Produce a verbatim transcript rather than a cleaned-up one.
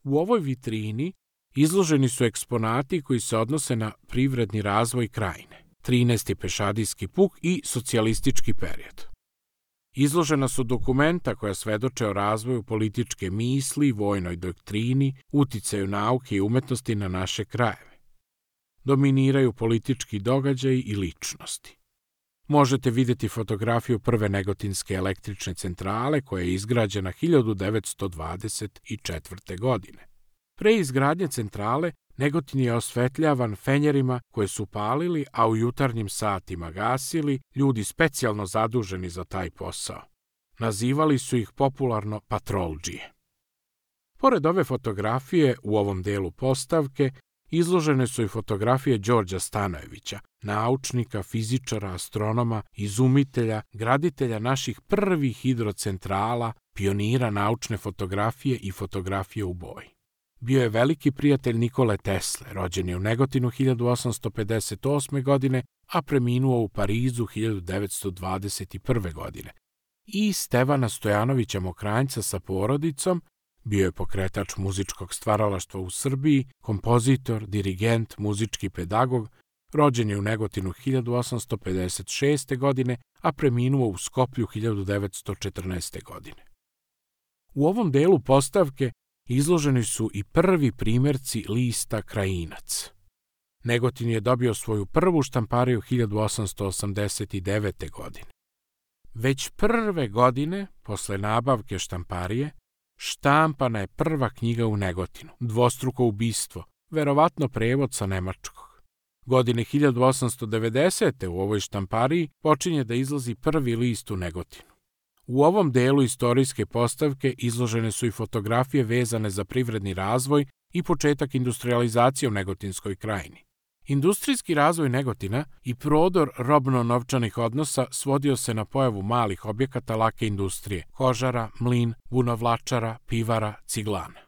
U ovoj vitrini izloženi su eksponati koji se odnose na privredni razvoj krajine, trinaesti pešadijski puk i socijalistički period. Izložena su dokumenta koja svedoče o razvoju političke misli, vojnoj doktrini, uticaju nauke i umetnosti na naše krajeve. Dominiraju politički događaji i ličnosti. Možete vidjeti fotografiju prve negotinske električne centrale koja je izgrađena hiljadu devetsto dvadeset četvrte. godine. Pre izgradnje centrale, Negotin je osvetljavan fenjerima koje su palili, a u jutarnjim satima gasili ljudi specijalno zaduženi za taj posao. Nazivali su ih popularno patroldžije. Pored ove fotografije, u ovom delu postavke, izložene su i fotografije Đorđa Stanojevića, naučnika, fizičara, astronoma, izumitelja, graditelja naših prvih hidrocentrala, pionira naučne fotografije i fotografije u boji. Bio je veliki prijatelj Nikole Tesle, rođen je u Negotinu hiljadu osamsto pedeset osme. godine, a preminuo u Parizu hiljadu devetsto dvadeset prve. godine. I Stevana Stojanovića Mokranjca sa porodicom, bio je pokretač muzičkog stvaralaštva u Srbiji, kompozitor, dirigent, muzički pedagog, rođen je u Negotinu hiljadu osamsto pedeset šeste. godine, a preminuo u Skoplju hiljadu devetsto četrnaeste. godine. U ovom delu postavke izloženi su i prvi primjerci lista Krajinac. Negotin je dobio svoju prvu štampariju hiljadu osamsto osamdeset devete. godine. Već prve godine, posle nabavke štamparije, štampana je prva knjiga u Negotinu, Dvostruko ubistvo, verovatno prevod sa nemačkog. Godine hiljadu osamsto devedesete. u ovoj štampariji počinje da izlazi prvi list u Negotinu. U ovom delu istorijske postavke izložene su i fotografije vezane za privredni razvoj i početak industrijalizacije u Negotinskoj krajini. Industrijski razvoj Negotina i prodor robno-novčanih odnosa svodio se na pojavu malih objekata lake industrije, kožara, mlin, vunovlačara, pivara, ciglana.